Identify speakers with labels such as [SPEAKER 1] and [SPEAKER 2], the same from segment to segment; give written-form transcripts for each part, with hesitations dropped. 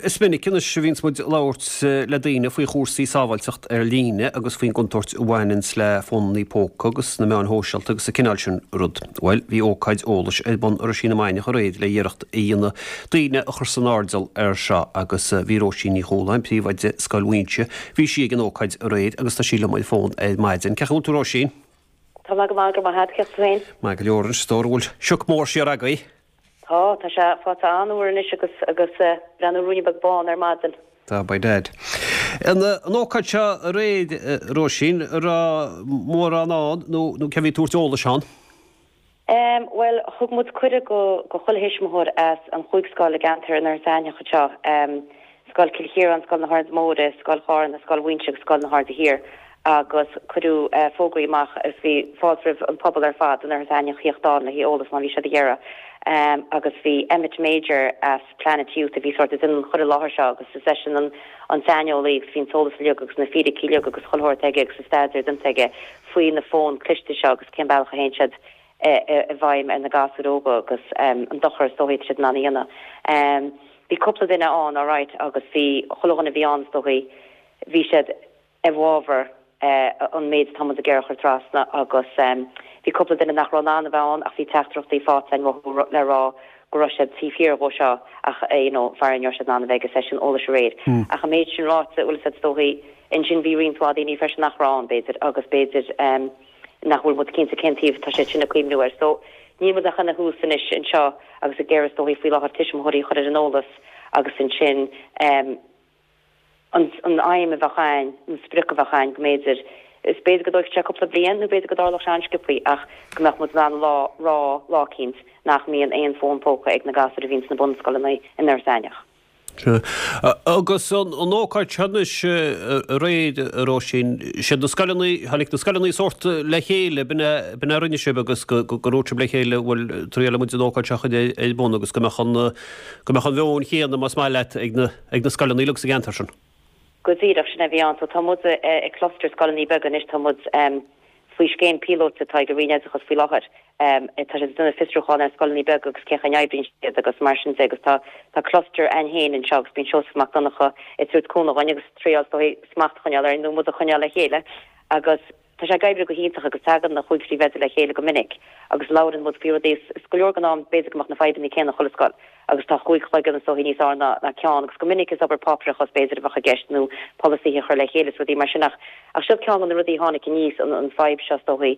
[SPEAKER 1] Is minic anois a bhíonns muid ag labhairt le daoine faoi chúrsaí sábháilteacht ar líne agus faoin gcontúirt a bhaineanns le fónannaí póca agus na meáin shóisialta agus an cineál sin rud. Bhuel, bhí ócáid eolais ar bun i Roisín na Mainiach aréir le iarracht a dhéanamh daoine a chur san airdeall ar seo agus bhí Róisín Ní Chualáin, príomhoide Scoil Mhuighinse, bhí sí ag an ócáid aréir agus tá sí liom ar an bhfón ar maidin. Cén chaoi a bhfuil tú Róisín?
[SPEAKER 2] Tá mé go maith, go raibh maith agat, cén chaoi tú féin?
[SPEAKER 1] Maith go leor, is dóigh an bhfuil sioc mór siar agaibh.
[SPEAKER 2] Tá, tá sé faighte an-fhuar anois agus agus breathnú ruainne beag bán ar maidin.
[SPEAKER 1] Tá, by dad. An an ócáid seo aréir, Róisín, an raibh mórán ann nó nó cé a bhí ag tabhairt eolais ann?
[SPEAKER 2] Em, bhuel, thug muid cuireadh go go chuile thuismitheoir as an chúig scoil i gceantar an Iarthair Aithneach anseo, em, Scoil Chill Chiaráin, Scoil na hAirde Móire, Scoil Chárna, Scoil Mhuighinse agus Scoil na hAirde Thiar agus cuireadh fógraí amach agus bhí fáilte roimh an pobal ar fad in Iarthar Aithneach theacht ann le haghaidh eolas má bhí siad ag iarraidh. Agus bhí Emmet Major as Planet Youth a bhí sórt ag déanamh an chur i láthair seo agus is eisean an an saineolaí agus bhí an t-eolas uilig agus na fíricí uilig agus chuile shórt aige agus an staidéar déanta aige faoi na fóin cliste seo agus cén bealach a théann siad i bhfeidhm ar na gasúir óga agus an dochar is dóichí atá siad in ann a dhéanamh. Bhí cúpla duine ann alright agus bhí chuile dhuine a bhí ann is dóichí bhí siad i bhfabhar an méid atá muid ag iarraidh a chur trasna agus bhí cúpla duine nach raibh in ann a bheith ann ach bhí teachtaireachtaí faighte againn uathu le rá go raibh siad taobh thiar dhó seo ach you know faraor ní raibh siad in ann a bheith ag an seisiún eolais aréir. Ach an méid sin ráite bhfuil a fhios agat is dóichí ansin bhí roinnt mhaith daoine freisin nach raibh ann b'fhéidir agus b'fhéidir nach bhfuil muid cinnte cén taobh atá siad sin ag cuimhniú air. So, níl muid ach ina thús anois anseo agus ag iarraidh is dóichí faoi láthair tuismitheoirí a chur ar an eolas agus ansin an an aidhm a bheadh a'ainn, an sprioc a bheadh a'ainn go mb'fhéidir, is b'fhéidir go dtógfaidh sé cúpla bliain nó b'fhéidir go dtarlódh sé an-sciobthaí ach go mbeadh muid in ann lá rá lá eicínt nach mbíonn aon fón póca ag na gasúir a bhíonn sna bunscoileanna in Iorras Aithneach.
[SPEAKER 1] Agus an ócáid seo anois aréir, a Róisín, siad na scoileanna, tháinig na scoileanna sórt le chéile, b'in é, b'in é a rinne sibh agus go, go ndúirt sibh le chéile, bhuel, triailfidh muid an ócáid seo a chur ar bun agus go mbeadh an, go mbeadh an mheon chéanna, más maith leat, ag na, ag na scoileanna uilig sa gceantar sin.
[SPEAKER 2] Go díreach, sin é a bhí ann. So tá muid i cluster scoileanna beaga anois, tá muid, faoi scéim píolóta atá ag an Roinn Oideachais faoi láthair. Tá siad ag déanamh fiosrúchán ar scoileanna beaga agus cén chaoi a n-oibríonn siad agus mar sin de agus tá tá cluster a'ainn féin anseo agus bíonn Seosamh Mac Donncha ag tabhairt cúnamh dhúinn agus triail is dóigh smacht a choinneáil orainn nó muid a choinneáil le chéile agus tá sé ag oibriú go hiontach agus tagann na chúig phríomhoide le chéile go minic agus labhrann muid faoi rudaí is go leor den am b'fhéidir go mbeadh na fadhbanna céanna chuile scoil. agus tá chúig chloigeann is dóichí níos fearr ná ná ceann agus go minic is obair páipéarachas b'fhéidir a bheadh i gceist nó polasaithe a chur le chéile is rudaí mar sin ach ach seo ceann de na rudaí a tháinig aníos an an fadhb seo is dóichí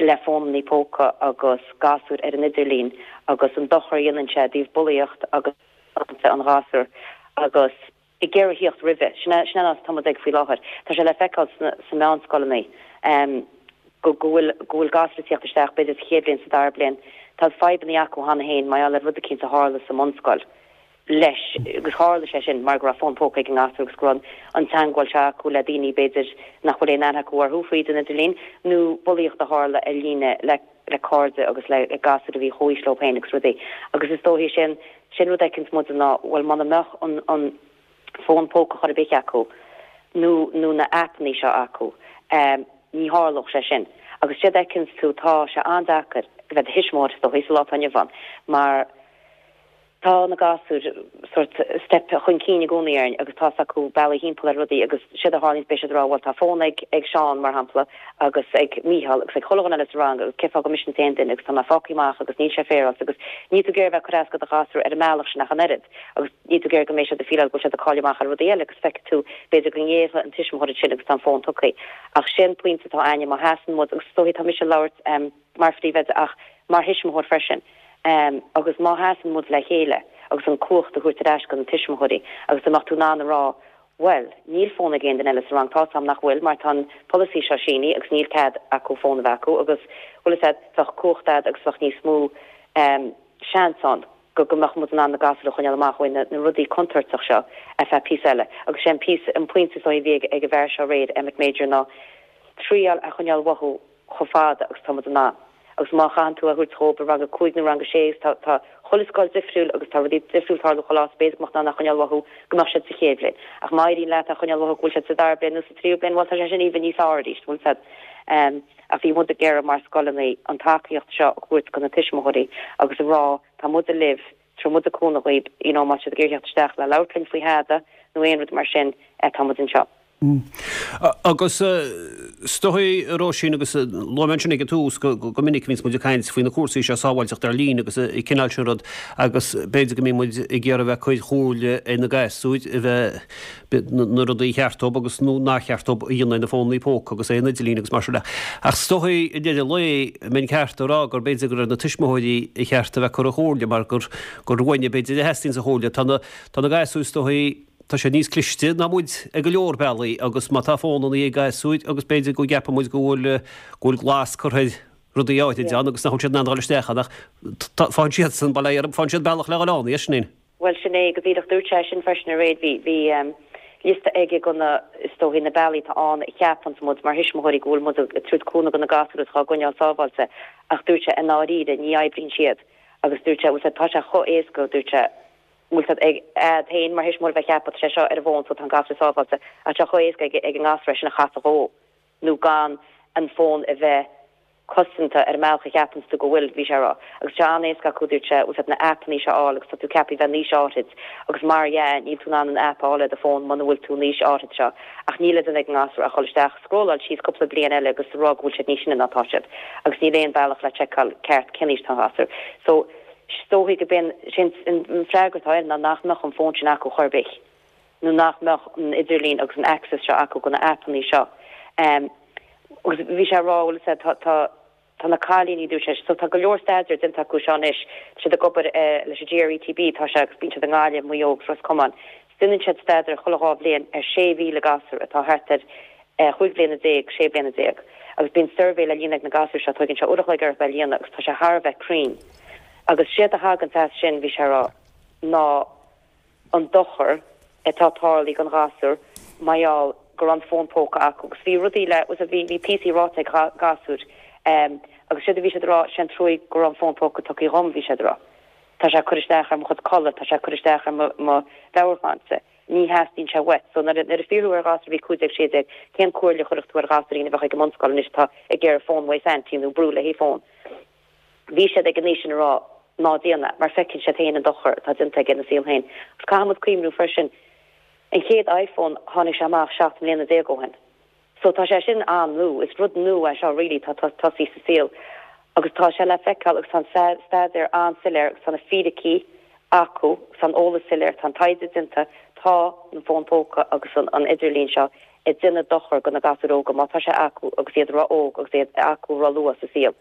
[SPEAKER 2] le fónannaí póca agus gasúir ar an idirlíon agus an dochar a dhéanann sé i dtaobh bulaíocht agus sláinte an ghasúir agus ag iarraidh theacht roimhe. Sin é, sin é an áit atá muid ag faoi láthair. Tá sé le feiceáil sna, sna meánscoileanna go, go bhfuil, go bhfuil gasúir ag tíocht isteach, b'fhéidir sa chéad bhliain, sa dara bliain. Tá fadhbanna acu cheana féin mar gheall ar rud eicínt a tharla sa mbunscoil leis agus tharla sé sin mar go raibh fón póca ag an ngasúr agus go raibh an teagmháil seo acu le daoine b'fhéidir nach bhfuil aon aithne acu orthu fríd an idirlíon nó bulaíocht a tharla ar líne le le cairde agus le gasúir a bhí chomh haois leo féin agus rudaí. Agus is dóichí sin, sin rud a fheiceanns muide ná, bhuel, muna mbeadh an, an fón póca chor ar bith acu nó, nó na aipeanna seo acu, ní tharlódh sé sin. Agus séard a fheiceanns tú, tá sé an-deacair a bheith i do thuismitheoir is dóichí sa lá atá inniu ann mar, Tá na gasúir sórt step chun cinn i gcónaí orainn agus tá's acu bealaí thimpeall ar rudaí agus séard a tharlaíonns beidh siad ag rá bhuel tá fón ag ag Seán mar shampla agus ag Mícheál agus ag chuile dhuine eile sa rang agus cén fáth gur mise an t-aon duine agus tá mé fágtha amach agus níl sé féaráilte agus níl tú ag iarraidh a bheith ag cur as do do ghasúr ar an mbealach sin ach an oiread agus níl tú ag iarraidh go mbeidh siad ag fíleáil go bhfuil siad ag cailleadh amach ar rudaí eile agus feicfidh tú b'fhéidir go ngéillfidh an tuismitheoir ansin agus tá an fón tugtha ach sé an pointe atá a'ainne má sheasann muid agus is dóichí tá mise ag labhairt mar phríomhoide ach mar thuismitheoir freisin agus má sheasann muid le chéile agus an cumhacht a thabhairt ar ais go na tuismitheoirí agus dá mbeadh tú in ann a rá bhuel, níl fón ag aon duine eile sa rang, tá's a'm nach bhfuil mar tá an polasaí seo sínithe agus níl cead acu fón a bheith acu agus bhfuil fhios a'd, bheadh cumhacht a'd agus bheadh níos mó seans ann go go mbeadh muid in ann na gasúir a choinneáil amach ó na rudaí contúirteach seo ar feadh píosa eile. Agus sé an píosa, an pointe is dóichí a bhí ag ag an bhfear seo aréir, Emmet Major, ná triail a choinneáil uathu chomh fada agus tá muid in ann. Agus má chaitheann tú é a thabhairt dhóibh i rang a 5 nó rang a 6 tá tá chuile scoil difriúil agus tá rudaí difriúil ag tarlú chuile áit, b'fhéidir go mbeadh in ann é a choinneáil uathu go mbeadh siad sa chéad bhliain. Ach má éiríonn leat é a choinneáil uathu go bhfuil siad sa dara bliain nó sa tríú bliain, bhuel tá sé sin even níos fearr arís, bhfuil fhios a'd. Ach bhí muid ag iarraidh mar scoileanna an tacaíocht seo a thabhairt go na tuismitheoirí agus a rá tá muide libh. Tabharfaidh muide cúnamh dhaoib, you know, má tá siad ag iarraidh theacht isteach le labhairt linn faoi thada nó aon rud mar sin, tá muid anseo.
[SPEAKER 1] Agus is dóigh, a Róisín, agus luaigh mé ansin ag an tús go minic a bhíonns muid ag caint faoi na cúrsaí seo, sábháilteacht ar líne agus an cineál sin rud, agus b'fhéidir go mbíonn muid ag iarraidh a bheith ag cur chomhairle ar na gasúir a bheith, na rudaí a cheart dóibh agus nó nár cheart dóibh a dhéanamh ar na fónnaí póca agus ar an idirlíon agus mar sin de. Ach is dóigh, i ndeireadh lae, an mbeinn ceart a rá gur b'fhéidir gur ar na tuismitheoirí a cheart a bheith ag cur an chomhairle mar gur gur uainne b'fhéidir a theastaíonns an chomhairle. Tá na, tá na gasúir is dóigh, Tá siad níos cliste ná muid ag go leor bealaí agus má tá fónannaí ag gasúir agus b'fhéidir go gceapann muid go bhfuil go bhfuil glas curtha ar rudaí áirid ann agus nach bhfuil siad in ann dul isteach ann ach faigheann siadsan, bail ó Dhia orthu, faigheann siad bealach le dhul ann, a Sinéad.
[SPEAKER 2] Bhuel sin é go díreach, dúirt sé sin freisin aréir, bhí bhí liosta aige go na, is dóichí, na bealaí atá ann a cheapanns muid mar thuismitheoirí go bhfuil muid ag tabhairt cúnamh do na gasúir agus dhá gcoinneáil sábháilte ach dúirt sé i ndáiríre ní oibríonn siad agus dúirt sé, bhuel tá sé chomh éasca, dúirt sé, bhfuil a fhios agat a'd féin mar thuismitheoir a bheith ag ceapadh tá sé seo ar an bhfón so tá an gasúr sábháilte ach tá sé chomh éasca ag ag an ngasúr é sin a chasadh dhó nó gan an fón a bheith cosanta ar an mbealach a cheapanns tú go bhfuil, bhí sé a rá. Agus tá sé an-éasca acu, dúirt sé, bhfuil a fhios agat na aipeannaí seo a fháil agus tá tú ceaptha a bheith in aois áithrid agus mar dhea níl tú in ann an aip a fháil ar do fón muna bhfuil tú in aois áithrid seo ach níl le déanamh ag an ngasúr ach dhul isteach, scrolláil síos cúpla bliain eile agus rá go bhfuil siad níos sine ná tá siad agus níl aon bealach le tseiceáil ceart cén aois atá an gasúr. So. Is dóichí go b'in sin an freagra atá air ná nach mbeadh an fón sin acu chor ar bith nó nach mbeadh an idirlíon agus an access seo acu go na aipeannaí seo. Agus bhí sé ag rá, bhfuil a fhios agat, tá, tá na cailíní, dúirt sé, so tá go leor staidéir déanta acu seo anois, tá siad ag obair leis an GRETB, tá sé agus bíonn siad i nGaillimh, Maigh Eo agus Ros Comáin. Déanann siad staidéar chuile 2 bhliain ar 6,000 gasúr atá thart ar 15 bliana, 16 bliana. Agus bíonn suirbhé le líonadh ag na gasúir seo, tóigeann sé uair a chloig orthu é a líonadh agus tá sé thar a bheith cruinn. Agus séard a thaganns as sin, bhí sé a rá, ná an dochar atá tarlaithe don ghasúr mar gheall go raibh an fón póca acu. Agus bhí rudaí le, bhí, bhí píosaí ráite ag gasúir agus séard a bhí siad a rá, sé an truaigh go raibh an fón póca tugtha dhom, bhí siad a rá. Tá sé ag cur isteach ar mo chuid codladh, tá sé ag cur isteach ar mo mheabhairshláinte. Ní theastaíonn sé uait. So nuair a fiafraíodh ar ghasúr a bhí 15, 16, cén comhairle a chuirfeadh tú ar ghasúirín a bheadh ag an mbunscoil anois atá ag iarraidh fón uaidh Saintí nó brú le haghaidh fón? Bhí siad ag an aois sin a rá ná déan é, mar feiceann siad féin an dochar atá déanta aige ina saol féin. Agus caithfidh muid cuimhniú freisin, an chéad iPhone, tháinig sé amach 17 mbliana ó shin. So tá sé sin an-nua, is rud nua é seo really atá tosaithe sa saol agus tá sé le feiceáil agus tá an staidéar an-soiléir agus tá na fíricí acu agus tá an eolas soiléir, tá an taighde déanta, tá an fón póca agus an idirlíon seo ag déanamh dochar do na gasúir óga má tá sé acu agus iad ró-óg agus iad acu ró-luath sa saol.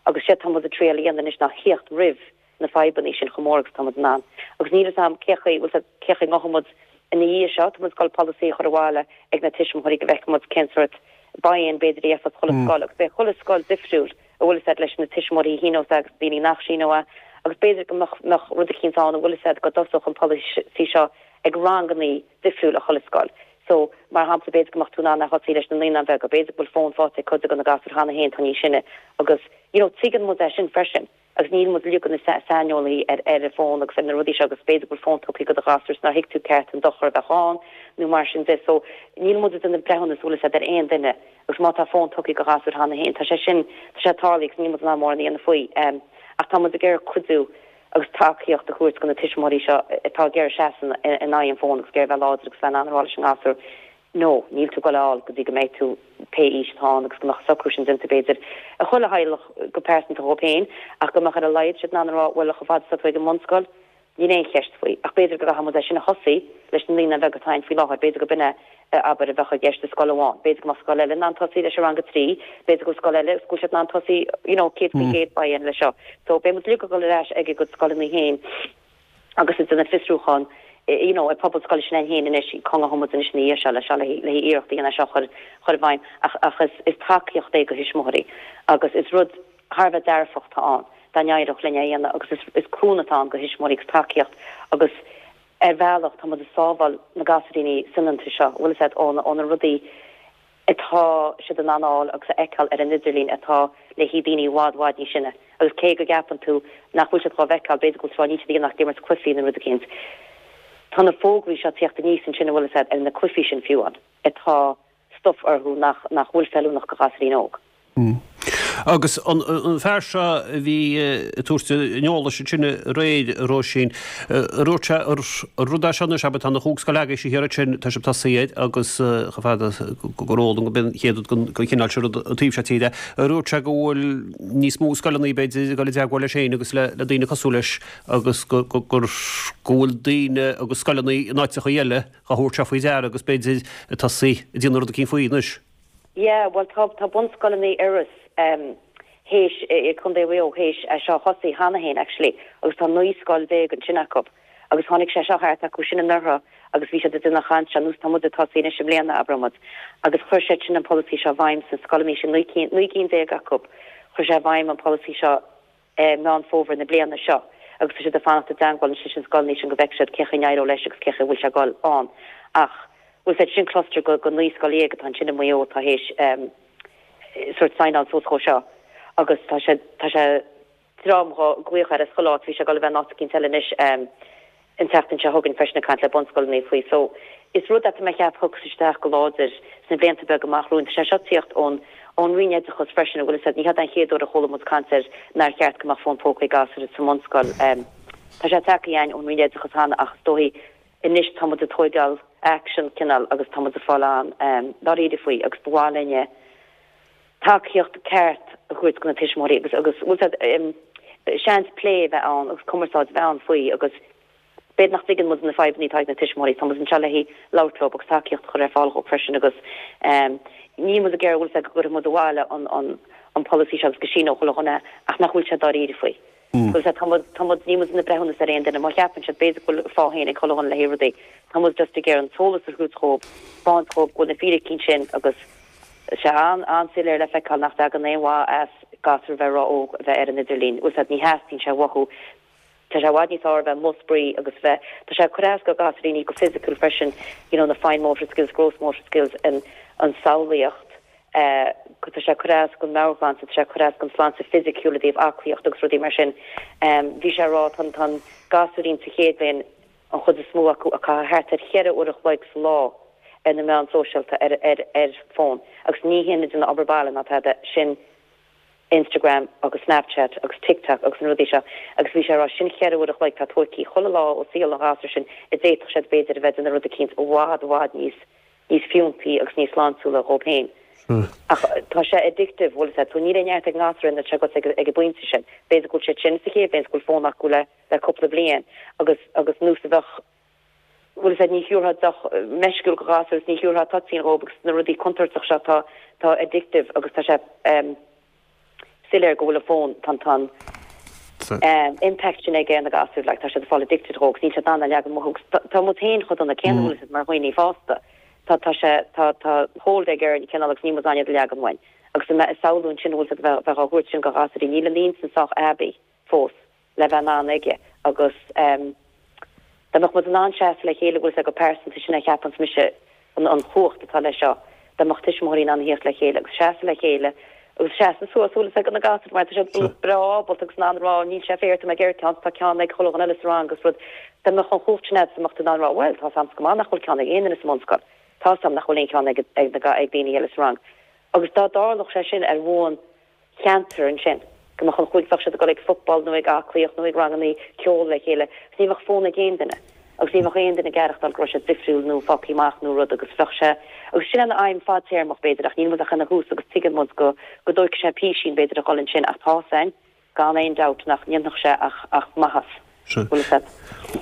[SPEAKER 2] Agus séard tá muid ag triail a dhéanamh anois ná theacht roimh na fadhbanna sin chomh mór agus atá muid in ann. Agus níl fhios a'm cé chaoi, bhfuil 's a'd, cé chaoi ngabhfaidh muid ina dhiaidh seo, tá muid ag goil polasaí a chur abhaile ag na tuismitheoirí go bhfeicfidh muid cén sórt buy-in b'fhéidir a gheibheas chuile scoil agus beidh chuile scoil difriúil, a bhfuil 'fhios a'd, leis na tuismitheoirí a shíneos é agus daoine nach síneodh é agus b'fhéidir go mbeadh, mbeadh rud eicínt ann, a bhfuil 'fhios a'd, go dtosódh an polasaí seo ag rangannaí difriúil i chuile scoil. So, mar shampla, b'fhéidir go mbeadh tú in ann a thosaí leis na naíonáin bheaga, b'fhéidir go bhfuil fón faighte ag cuid de na gasúir cheana féin atá níos sine agus, you know, tuigeann muid é sin freisin. Agus níl muid uilig ina saineolaithe ar ar an bhfón agus ar na rudaí seo agus b'fhéidir go bhfuil fón tugtha do do ghasúr is nár thuig tú ceart an dochar a bheadh ann nó mar sin de. So níl muid ag déanamh breithiúnas bhfuil 'fhios a'd ar aon duine agus má tá fón tugtha do ghasúr cheana féin tá sé sin, tá sé tarlaithe agus níl muid in ann mórán a dhéanamh faoi. Ach tá muid ag iarraidh cuidiú agus tacaíocht a thabhairt do na tuismitheoirí seo atá ag iarraidh seasamh in aghaidh an fóin agus ag iarraidh bheith láidir agus bheith in ann a rá leis an ngasúr No, níl tú ag goil a fháil go dtí go mbeidh tú pé aois atá ann agus go mbeadh an socrú sin déanta b'fhéidir ag chuile theaghlach go pearsanta dhóibh féin ach go mbeadh ar a laghad siad in ann a rá bhuel chomh fada is atá tú ag an mbunscoil níl aon cheist faoi ach b'fhéidir go gcaithfidh muid é sin a thosaí leis na naíonáin bheaga atá ann faoi láthair b'fhéidir go b'in é abair a bheadh i gceist i scoil amháin b'fhéidir go mbeadh scoil eile in ann tosaí leis an rang 3 b'fhéidir go bhfuil scoil eile go bhfuil siad in ann tosaí you know 100% buy-in leis seo so beidh muid uilig ag dul ar ais ag a gcuid scoileanna féin agus ag déanamh fiosrúchán you know, ag pobal scoile s'againn féin anois, cá ngabhfaidh muid anois ina dhiaidh seo le seo le haghaidh iarracht a dhéanamh é seo a chur chur i bhfeidhm ach ach is is tacaíocht é do thuismitheoirí agus is rud thar a bheith dearfach atá ann dá n-éireodh linn é a dhéanamh agus is is cúnamh atá ann do thuismitheoirí agus tacaíocht agus ar bhealach tá muid ag sábháil na gasúiríní soineanta seo, bhfuil 'fhios a'd, ó na ó na rudaí atá siad in ann a fháil agus a fheiceáil ar an idirlíon atá le haghaidh daoine i bhfad, bhfad níos sine. Agus cé go gceapann tú nach bhfuil siad dhá bhfeiceáil, b'fhéidir go bhfuil tú ag rá níl siad ag déanamh ach ag imirt cluichí nó rud eicínt. Tá na fógraí seo ag tíocht aníos ansin, an bhfuil 'fhios a'd, ar na cluichí sin fiú amháin, atá stuif orthu nach, nach bhfuil feiliúnach do ghasúirín óg.
[SPEAKER 1] Agus an fear seo a bhí ag tabhairt an eolais ansin aréir, a Róisín, ar dhúirt sé ar rud é seo anois, abair, tá na chúig scoil agaibhse thiar ansin, tá sibh tosaithe air agus chomh fada gur eol dom go b'in an chéad rud den chineál seo rud an taobh seo tíre, ar dhúirt sé go bhfuil níos mó scoileanna b'fhéidir ag dul i dteagmháil leis féin agus le daoine cosúil leis agus go bhfuil daoine agus scoileanna in áiteacha eile á thabhairt seo faoi deara agus b'fhéidir ag tosaí ag déanamh rud eicínt faoi anois.
[SPEAKER 2] Yeah, bhuel tá, tá bunscoileanna Iorras théis, i Contae Mhaigh Eo théis é seo a thosaí cheana féin actually agus tá 19 scoil ansin acu agus tháinig sé seo thart acu sin anuraidh agus bhí siad ag déanamh chaint ar nós tá muid ag tosaí anois i mbliana abraidh muid agus chuir siad sin an polasaí seo i bhfeidhm sna scoileanna sin, 19 cinn acu, chuir sé i bhfeidhm an polasaí seo i Meán Fómhair na bliana seo agus tá siad ag fanacht i dteangmháil anois leis na scoileanna sin go bhfeicfidh siad cén chaoi a n-éireoidh leis agus cén chaoi a bhfuil sé ag dul ann. Ach bhfuil 's agat sin cluster go 19 scoil atá ansin i Maigh Eo atá théis sort signáil suas dhó seo agus tá sé tá sé dream dhá glaoch air as chuile áit bhí sé ag dul a bheith in áit eicínt eile anois an tseachtain seo chugainn freisin ag caint le bunscoileanna faoi. So, is rud é tá mé ag ceapadh a thiocfas isteach go láidir sna blianta beaga amach romhainn. Tá sé seo ag tíocht ón ón Roinn Oideachais freisin, an bhfuil 'fhios agat, ní hé an chéad uair a chuala muid caint ar nár cheart go mbeadh fón póca ag gasúir sa mbunscoil. Tá sé tagtha againn ón Roinn Oideachais cheana ach is dóigh anois tá muid ag tóigeáil action cineál agus tá muid ag fáil an-dáiríre faoi agus ba mhaith linne tacaíocht ceart a thabhairt do na tuismitheoirí agus agus bhfuil 's agat seans plé a bheith ann agus cumarsáid a bheith ann faoi agus b'fhéidir nach dtuigeann muid na fadhbanna atá ag na tuismitheoirí, tá muid anseo le haghaidh labhairt leo agus tacaíocht a chur ar fáil dhóibh freisin agus níl muid ag iarraidh bhfuil 's agat go gcuirfidh muid abhaile an an an polasaí seo agus go síneodh chuile dhuine ach nach bhfuil sé dáiríre faoi. Bhfuil 's agat tá muid tá muid níl muid ina breithiúnas ar aon duine má cheapann siad b'fhéidir go bhfuil fáth féin ag chuile dhuine le haghaidh rudaí tá muid just ag iarraidh an t-eolas a thabhairt dhóibh, 'speáint dhóibh go bhfuil na fíricí ansin agus Tá sé an-soiléir le feiceáil nach dtagann aon mhaith as gasúir a bheith ró-óg a bheith ar an idirlíon. Bhfuil 's agat, ní theastaíonn sé uathu. Tá sé i bhfad níos fearr a bheith amuigh ag spraoi agus bheith, tá sé ag cur as go gasúiríní go fisiciúil freisin, you know na fine motor skills, gross motor skills, an an samhlaíocht, eh tá sé ag cur as don meabhairshláinte, tá sé ag cur as don sláinte fisiciúil i dtaobh aclaíocht agus rudaí mar sin. Bhí sé ag rá tá tá an gasúirín sa chéad bhliain, an chuid is mó acu ag caitheamh thart ar cheithre uair an chloig sa lá ar na meáin sóisialta ar ar ar fón agus ní hin ag déanamh obair baile ná tada, sin Instagram agus Snapchat agus TikTok agus na rudaí seo agus bhí sé ag rá sin cheithre uair an chloig atá tóigthe chuile lá ó saol an ghasúir sin a d'fhéadfadh siad b'fhéidir a bheith ag déanamh rud eicínt i bhfad i bhfad níos níos fiúntaí agus níos sláintiúla dhóibh féin. Ach tá sé addictive, bhfuil 'fhios agat, so níl aon neart ag an ngasúr ina agat ag an bpointe sin. B'fhéidir go bhfuil siad sin sa chéad bhliain 's go bhfuil fón acu le le cúpla bliain agus agus nós a bheadh, bhfuil 'fhios agat, ní thiúrfá deoch meisciúil go ghasúr is ní thiúrfá toitín dhóibh agus na rudaí contúirteach seo tá tá addictive agus tá sé ehm soiléir go bhfuil an fón, tá an tá an ehm impact sin aige ar na gasúir like tá siad ag fáil addicted dhó agus níl siad in ann é a leagan amach agus tá tá muid féin chomh dona céanna bhfuil 'fhios agat mar dhaoine fásta tá tá sé tá tá hold aige orainn cineál agus níl muid in ann iad a leagan uainn agus ag samhlú ansin bhfuil 'fhios agat bheith bheith á thabhairt sin go ghasúirí níl an intinn sách aibí fós le bheith in ann aige agus dá mbeadh muid in ann seasamh le chéile bhfuil 'fhios agat go pearsanta sin a cheapanns mise an an chumhacht atá leis seo dá mbeadh tuismitheoirí in ann a thíocht le chéile agus seasamh le chéile agus seasamh suas bhfuil 'fhios agat do na gasúir mar tá siad breá ábalta agus in ann a rá níl sé fair tá mé ag iarraidh ceann tá ceann ag chuile dhuine eile sa rang agus rud dá mbeadh an chumhacht sin agat dá mbeadh tú in ann a rá bhuel tá 's a'msa go maith nach bhfuil ceann ag aon duine sa mbunscoil tá 's a'm nach bhfuil aon cheann ag ag na ag daoine eile sa rang agus dá dtarlódh sé sin ar bhonn cheantar ansin, go mbeadh an chúig, bheadh siad ag dul ag football nó ag aclaíocht nó ag rangannaí ceoil le chéile agus ní bheadh fón ag aon duine agus ní bheadh aon duine ag aireachtáil go raibh siad difriúil nó fágtha amach nó rud agus bheadh sé, agus sin an aidhm fadtéarmach b'fhéidir ach níl muid ach ina thús agus tuigeann muid go go dtóigfidh sé písín b'fhéidir a dhul ansin ach tá 's a'inn gan aon dabht nach ndéanfadh sé ach ach maitheas.
[SPEAKER 1] Sea. Bhfuil 'fhios agat.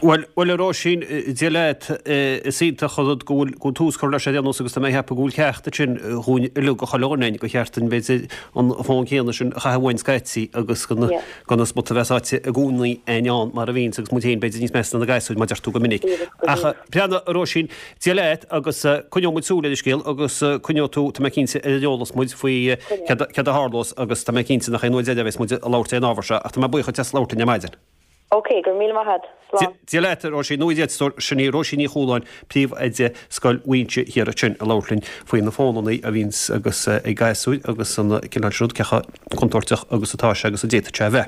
[SPEAKER 1] Bhuel, bhuel a Róisín, Dia leat, is iontach an rud go bhfuil, go bhfuil tús curtha leis ar aon nós agus tá mé ag ceapadh go bhfuil ceacht ansin dhúinn uilig, do chuile dhuine againn, gur cheart dúinn b'fhéidir an fón céanna sin a chaitheamh uainn scaití agus gan, gan an smut a bheith sáite i gcónaí againn ann mar a bhíonns agus muid féin b'fhéidir níos measa ná na gasúir mar deir tú go minic. Ach breathnaigh a Róisín, Dia leat agus coinneoidh muid súil ar an scéal agus coinneoidh tú, tá mé cinnte, ar an eolas muid faoi céard a tharlós agus tá mé cinnte nach é an uair deiridh a bheas muid ag labhairt ar an ábhar seo ach tá mé buíoch duit as labhairt linn ar maidin.
[SPEAKER 2] Ok, go raibh míle maith agat. Slán.
[SPEAKER 1] Dia leat, a Róisín. Nó a stór, sin í Róisín Ní Chualáin, Príomhoide Scoil Mhuínse Thiar ansin ag labhairt linn faoi na fónannaí a bhíonns agus ag gasúir agus an cineál sin rud, cé chomh contúirteach agus atá sé agus a d'fhéadfadh sé a bheith.